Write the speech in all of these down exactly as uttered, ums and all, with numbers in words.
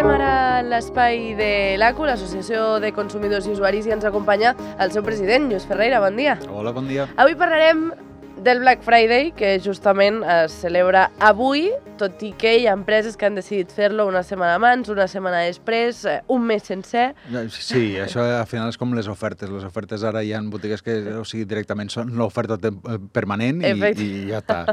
entrem ara en l'espai de l'A C U, l'Associació de Consumidors i Usuaris, i ens acompanya el seu president, Lluís Ferreira. Bon dia. Hola, bon dia. Avui parlarem del Black Friday, que justament es celebra avui, tot i que hi ha empreses que han decidit fer-lo una setmana abans, una setmana després, un mes sencer. Sí, això al final és com les ofertes. Les ofertes ara hi ha botigues que o sigui, directament són l'oferta permanent i, i ja està.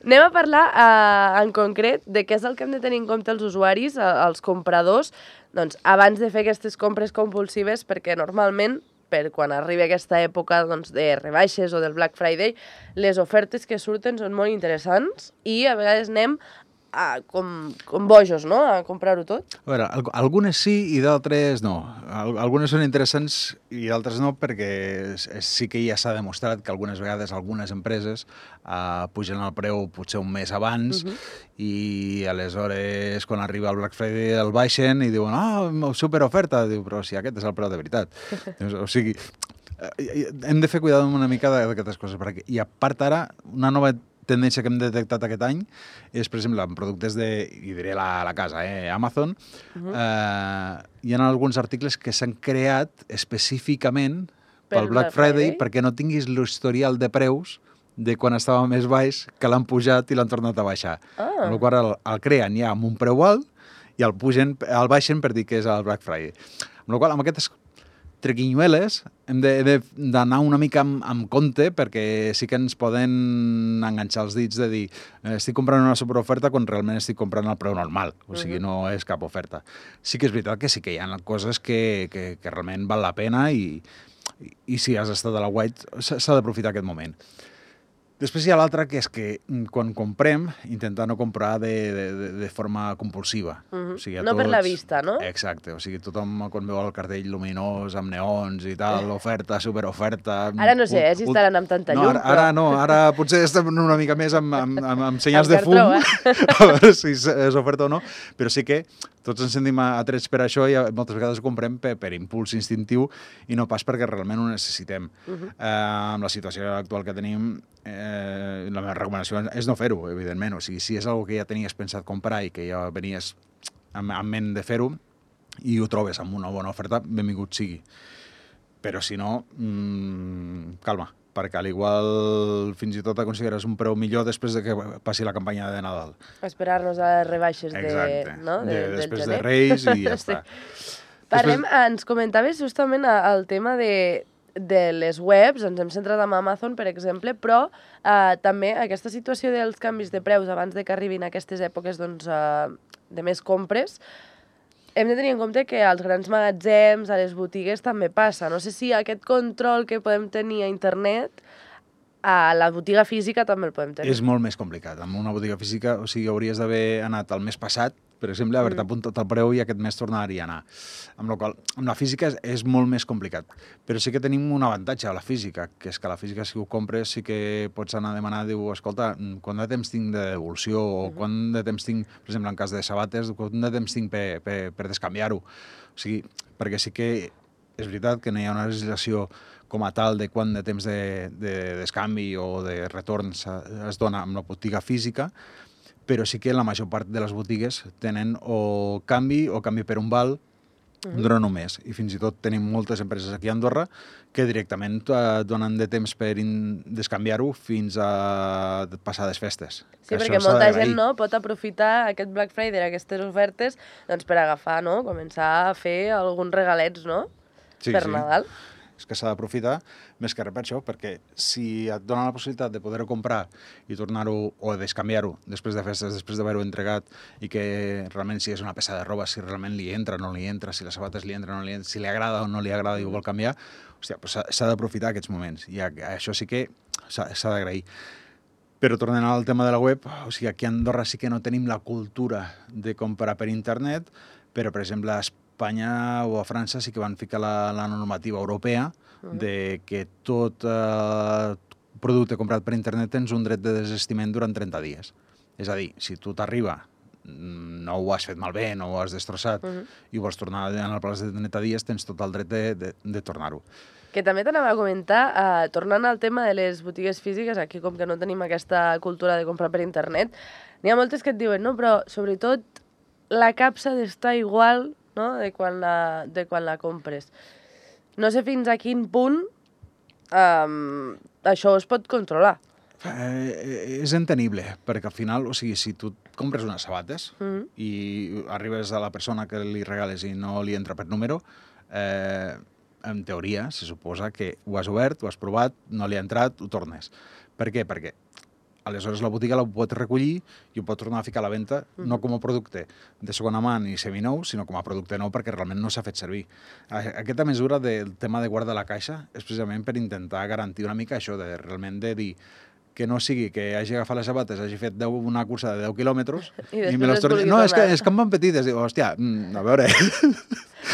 Anem a parlar uh, en concret de què és el que hem de tenir en compte els usuaris, els compradors, doncs, abans de fer aquestes compres compulsives, perquè normalment, per quan arribi aquesta època doncs, de rebaixes o del Black Friday, les ofertes que surten són molt interessants i a vegades anem a, com, com bojos, no?, a comprar-ho tot. A veure, algunes sí i d'altres no. Algunes són interessants i d'altres no, perquè sí que ja s'ha demostrat que algunes vegades algunes empreses uh, pugen el preu potser un mes abans uh-huh. i aleshores quan arriba el Black Friday el baixen i diuen ah, oh, superoferta, diu, però si aquest és el preu de veritat. O sigui, hem de fer cuidado una mica d'aquestes coses, perquè, i a part ara, una nova tendència que hem detectat aquest any és, per exemple, en productes de, i diré la, la casa, eh, Amazon, uh-huh. eh, hi ha alguns articles que s'han creat específicament pel Black Friday, Friday perquè no tinguis l'historial de preus de quan estava més baix, que l'han pujat i l'han tornat a baixar. Ah. Amb la qual cosa el, el creen ja amb un preu alt i el, pugen, el baixen per dir que és el Black Friday. Amb la qual cosa, amb aquestes trequinyueles hem d'anar una mica amb, amb compte perquè sí que ens poden enganxar els dits de dir estic comprant una superoferta quan realment estic comprant el preu normal, o sigui, no és cap oferta. Sí que és veritat que sí que hi ha coses que, que, que realment val la pena i, i, i si has estat a la White s'ha d'aprofitar aquest moment. Després hi ha l'altre, que és que quan comprem, intentar no comprar de, de, de forma compulsiva. Uh-huh. O sigui, no tots... per la vista, no? Exacte. O sigui, tothom quan veu el cartell luminós, amb neons i tal, oferta, superoferta... Ara no sé, eh, si estaran amb tanta llum, no, ara, però... Ara no, ara potser estem una mica més amb, amb, amb, amb senyals de fum, eh? a veure si és oferta o no, però sí que tots ens sentim atrets per això i moltes vegades ho comprem per, per impuls instintiu i no pas perquè realment ho necessitem. Uh-huh. eh, amb la situació actual que tenim, eh, la meva recomanació és no fer-ho, evidentment. O sigui, si és una que ja tenies pensat comprar i que ja venies amb, amb ment de fer-ho i ho trobes amb una bona oferta, benvingut sigui. Però si no, mmm, calma, perquè al igual fins i tot aconseguiràs un preu millor després de que passi la campanya de Nadal. Esperar-nos a les rebaixes de, no? de, de, del després gener. de Reis i ja sí. està. Parlem, després... ens comentaves justament el tema de, de les webs, ens hem centrat en Amazon, per exemple, però eh, també aquesta situació dels canvis de preus abans de que arribin aquestes èpoques doncs, eh, de més compres, hem de tenir en compte que als grans magatzems, a les botigues, també passa. No sé si aquest control que podem tenir a internet, a la botiga física també el podem tenir. És molt més complicat. En una botiga física, o sigui, hauries d'haver anat el mes passat, per exemple, haver-te apuntat el preu i aquest mes tornaria a anar. Amb la qual amb la física és, és molt més complicat. Però sí que tenim un avantatge a la física, que és que a la física, si ho compres, sí que pots anar a demanar, diu, escolta, quant de temps tinc de devolució, o uh-huh. quant de temps tinc, per exemple, en cas de sabates, quant de temps tinc per, per, per descanviar-ho. O sigui, perquè sí que és veritat que no hi ha una legislació com a tal de quant de temps de, de descanvi o de retorn es dona amb la botiga física, però sí que la major part de les botigues tenen o canvi o canvi per un val uh-huh. durant un mes. I fins i tot tenim moltes empreses aquí a Andorra que directament et donen de temps per descanviar-ho fins a passades festes. Sí, perquè molta gent no, pot aprofitar aquest Black Friday, aquestes ofertes, doncs per agafar, no? Començar a fer alguns regalets, no? Sí, per sí. Nadal. És que s'ha d'aprofitar més que res per això, perquè si et dona la possibilitat de poder-ho comprar i tornar-ho o descanviar-ho després de festes, després d'haver-ho entregat i que realment si és una peça de roba, si realment li entra o no li entra, si les sabates li entra o no li entra, si li agrada o no li agrada i ho vol canviar, hòstia, doncs s'ha d'aprofitar aquests moments. I això sí que s'ha d'agrair. Però tornant al tema de la web, o sigui, aquí a Andorra sí que no tenim la cultura de comprar per internet, però, per exemple, a Espanya o a França sí que van ficar la, la normativa europea uh-huh. de que tot eh, producte comprat per internet tens un dret de desistiment durant trenta dies. És a dir, si tu t'arriba, no ho has fet malbé, no ho has destrossat uh-huh. i vols tornar en el plaç de trenta dies, tens tot el dret de, de, de tornar-ho. Que també t'anava a comentar, eh, tornant al tema de les botigues físiques, aquí com que no tenim aquesta cultura de comprar per internet, n'hi ha moltes que et diuen, no, però sobretot la capsa d'estar igual, no?, de quan la, de quan la compres. No sé fins a quin punt um, això es pot controlar. Eh, és entenible, perquè al final, o sigui, si tu compres unes sabates mm -hmm. i arribes a la persona que li regales i no li entra per número, eh, en teoria se suposa que ho has obert, ho has provat, no li ha entrat, ho tornes. Per què? Perquè aleshores la botiga la pot recollir i ho pot tornar a ficar a la venda, mm -hmm. no com a producte de segona mà ni seminou, sinó com a producte nou perquè realment no s'ha fet servir. Aquesta mesura del tema de guardar la caixa és precisament per intentar garantir una mica això, de realment de dir que no sigui que hagi agafat les sabates, hagi fet deu, una cursa de deu quilòmetres i, i me les torni... No, és que, és que em van petites. Diu, hòstia, a veure...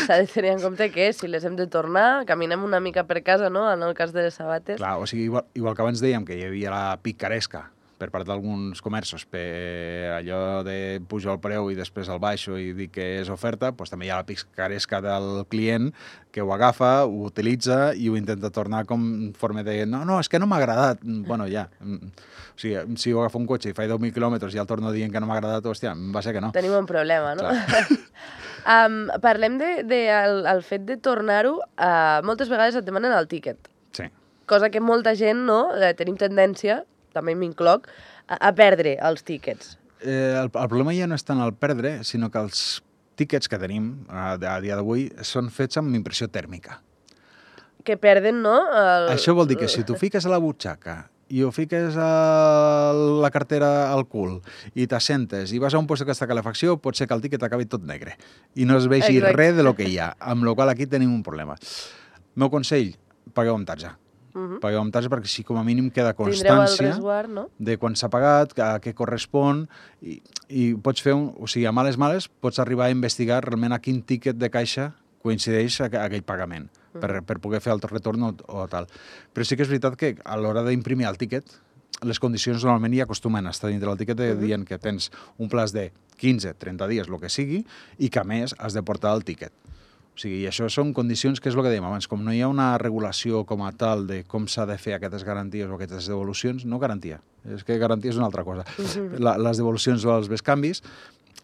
S'ha de tenir en compte que si les hem de tornar, caminem una mica per casa, no?, en el cas de les sabates. Clar, o sigui, igual, igual que abans dèiem que hi havia la picaresca per part d'alguns comerços per allò de pujar el preu i després el baixo i dir que és oferta, doncs també hi ha la picaresca del client que ho agafa, ho utilitza i ho intenta tornar com en forma de no, no, és que no m'ha agradat. Bueno, ja. O sigui, si ho agafa un cotxe i fa deu mil quilòmetres i el torno dient que no m'ha agradat, hòstia, va ser que no. Tenim un problema, no? um, parlem de, de el, el fet de tornar-ho. Uh, moltes vegades et demanen el tíquet. Sí. Cosa que molta gent, no?, eh, tenim tendència, també m'incloc, a, a perdre els tíquets. Eh, el, el problema ja no és tant el perdre, sinó que els tíquets que tenim a, a dia d'avui són fets amb impressió tèrmica. Que perden, no? El... Això vol dir que si tu fiques a la butxaca i ho fiques a la cartera al cul i t'assentes i vas a un lloc que està a calefacció, pot ser que el tíquet acabi tot negre i no es vegi Exacte. res de lo que hi ha, amb la qual aquí tenim un problema. Meu consell, pagueu amb tarja. Uh -huh. Pagueu amb tarja perquè així com a mínim queda constància resguard, no? de quan s'ha pagat, a què correspon, i, i pots fer, un, o sigui, a males males, pots arribar a investigar realment a quin tíquet de caixa coincideix a, a aquell pagament, uh -huh. per, per poder fer el retorn o, o tal. Però sí que és veritat que a l'hora d'imprimir el tíquet, les condicions normalment hi acostumen a estar dintre del tíquet uh -huh. dient que tens un plaç de quinze, trenta dies, el que sigui, i que a més has de portar el tíquet. O sigui, i això són condicions, que és el que dèiem abans, com no hi ha una regulació com a tal de com s'ha de fer aquestes garanties o aquestes devolucions, no garantia, és que garantia és una altra cosa. Mm-hmm. La, les devolucions o els bescanvis,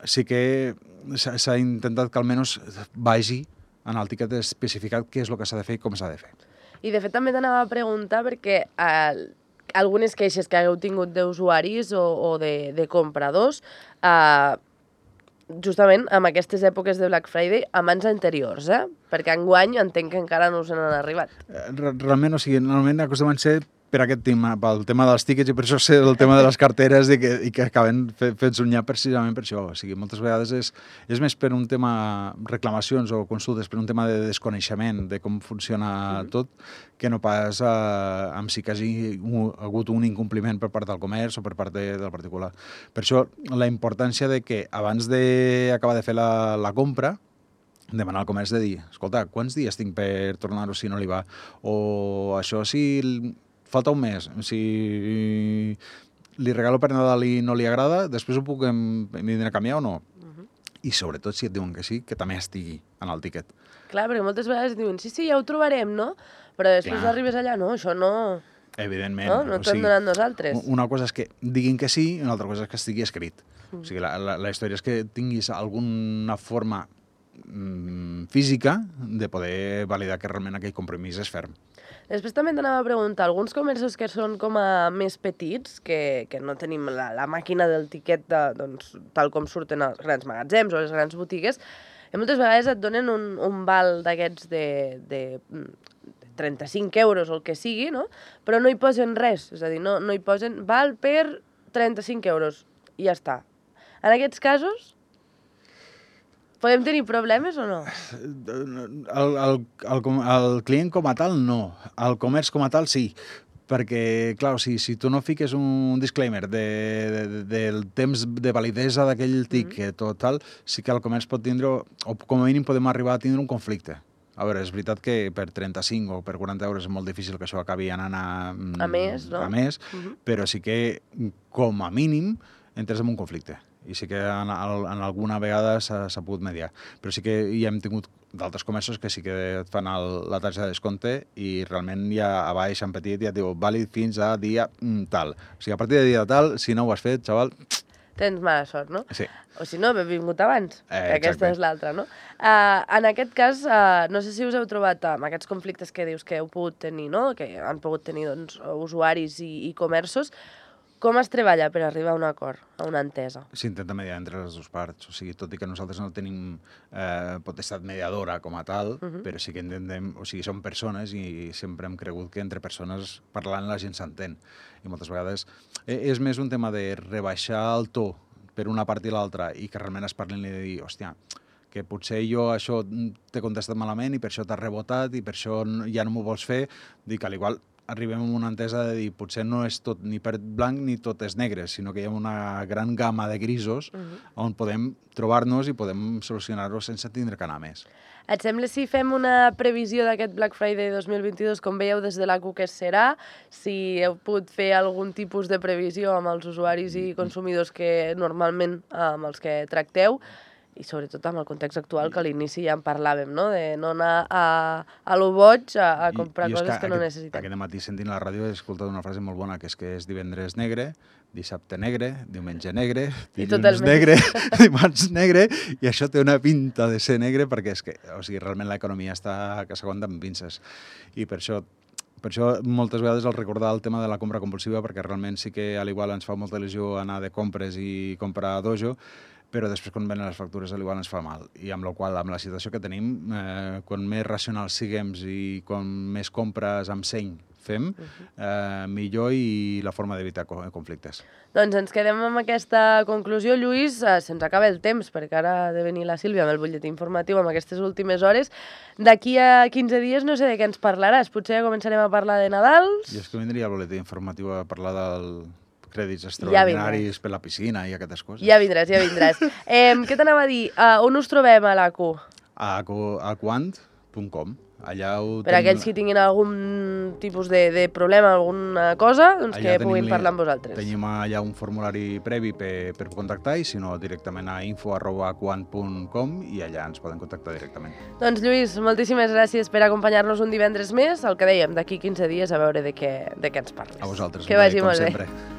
sí que s'ha intentat que almenys vagi en el tíquet especificat què és el que s'ha de fer i com s'ha de fer. I de fet també t'anava a preguntar perquè eh, algunes queixes que hagueu tingut d'usuaris o, o de, de compradors, eh, justament amb aquestes èpoques de Black Friday, amb anys anteriors, eh? Perquè enguany entenc que encara no us n'han arribat. Realment, o sigui, normalment acostumen a ser per aquest tema, pel tema dels tíquets, i per això sé el tema de les carteres i que, i que acaben fets un nyap precisament per això. O sigui, moltes vegades és, és més per un tema reclamacions o consultes, per un tema de desconeixement de com funciona mm. tot, que no pas eh, amb si que hagi hagut un incompliment per part del comerç o per part de, del particular. Per això, la importància de que abans d'acabar de fer la, la compra, demanar al comerç de dir, escolta, quants dies tinc per tornar-ho si no li va? O això si falta un mes, si li regalo per Nadal i no li agrada, després ho puc vindre a canviar o no? Uh-huh. I sobretot si et diuen que sí, que també estigui en el tíquet. Clar, perquè moltes vegades diuen, sí, sí, ja ho trobarem, no? Però després Clar. arribes allà, no, això no... Evidentment. No, no t'ho hem donat nosaltres. Una cosa és que diguin que sí i una altra cosa és que estigui escrit. Mm. O sigui, la, la, la història és que tinguis alguna forma mm, física de poder validar que realment aquell compromís és ferm. Després també t'anava a preguntar, alguns comerços que són com a més petits, que, que no tenim la, la màquina del tiquet de, doncs, tal com surten els grans magatzems o les grans botigues, i moltes vegades et donen un, un val d'aquests de, de, de trenta-cinc euros o el que sigui, no? Però no hi posen res, és a dir, no, no hi posen val per trenta-cinc euros i ja està. En aquests casos, podem tenir problemes o no? El, el, el, el client com a tal, no. El comerç com a tal, sí. Perquè, clar, o sigui, si tu no fiques un disclaimer de, de, del temps de validesa d'aquell tiquet mm. o tal, sí que el comerç pot tindre, o com a mínim podem arribar a tindre un conflicte. A veure, és veritat que per trenta-cinc o per quaranta euros és molt difícil que això acabi anant a... A més, no? A més, mm-hmm. però sí que, com a mínim, entres en un conflicte. I sí que en, en alguna vegada s'ha pogut mediar. Però sí que hi hem tingut d'altres comerços que sí que et fan el, la taxa de descompte i realment ja a baix, en petit, ja et diu vàlid fins a dia mm, tal. O sigui, a partir de dia tal, si no ho has fet, xaval... tens mala sort, no? Sí. O si no, benvingut abans, Eh, que aquesta és l'altra, no? Uh, en aquest cas, uh, no sé si us heu trobat amb aquests conflictes que dius que heu pogut tenir, no? Que han pogut tenir doncs, usuaris i, i comerços. Com es treballa per arribar a un acord, a una entesa? S'intenta mediar entre les dues parts, o sigui, tot i que nosaltres no tenim eh, potestat mediadora com a tal, uh -huh. però sí que intentem, o sigui, som persones i sempre hem cregut que entre persones parlant la gent s'entén. I moltes vegades eh, és més un tema de rebaixar el to per una part i l'altra i que realment es parlin i de dir, hòstia, que potser jo això t'he contestat malament i per això t'has rebotat i per això ja no m'ho vols fer, dic que a l'igual arribem a una entesa de dir potser no és tot ni per blanc ni tot és negre, sinó que hi ha una gran gamma de grisos uh -huh. on podem trobar-nos i podem solucionar-ho sense tindre que anar més. Et sembla si fem una previsió d'aquest Black Friday dos mil vint-i-dos, com veieu des de l'A Q que serà, si heu pogut fer algun tipus de previsió amb els usuaris i consumidors que normalment amb els que tracteu, i sobretot amb el context actual, que a l'inici ja en parlàvem, no? De no anar a, a lo boig a, a comprar I, coses que, que no aquest, necessitem. Aquest matí sentint la ràdio he escoltat una frase molt bona, que és que és divendres negre, dissabte negre, diumenge negre, dilluns negre, dimarts negre, i això té una pinta de ser negre perquè és que, o sigui, realment l'economia està que s'aguanta amb pinces. I per això Per això, moltes vegades, el recordar el tema de la compra compulsiva, perquè realment sí que a l'igual ens fa molta il·lusió anar de compres i comprar a dojo, però després quan venen les factures a l'igual ens fa mal. I amb la qual amb la situació que tenim, eh, quan més racionals siguem i quan més compres amb seny fem, eh, millor i la forma d'evitar conflictes. Doncs ens quedem amb aquesta conclusió, Lluís. Eh, se'ns acaba el temps, perquè ara ha de venir la Sílvia amb el butlletí informatiu amb aquestes últimes hores. D'aquí a quinze dies no sé de què ens parlaràs. Potser començarem a parlar de Nadals. I és que vindria el butlletí informatiu a parlar del crèdits extraordinaris ja per la piscina i aquestes coses. Ja vindràs, ja vindràs. eh, què t'anava a dir? Uh, on us trobem a l'A Q? A aquant punt com. Allà ho per tenim... aquells que tinguin algun tipus de, de problema, alguna cosa, doncs allà que puguin parlar amb vosaltres. Tenim allà un formulari previ per, per contactar i si no directament a info arroba aquant punt com i allà ens poden contactar directament. Doncs Lluís, moltíssimes gràcies per acompanyar-nos un divendres més. El que dèiem, d'aquí quinze dies a veure de què, de què ens parles. A vosaltres, que vagi molt bé. Sempre.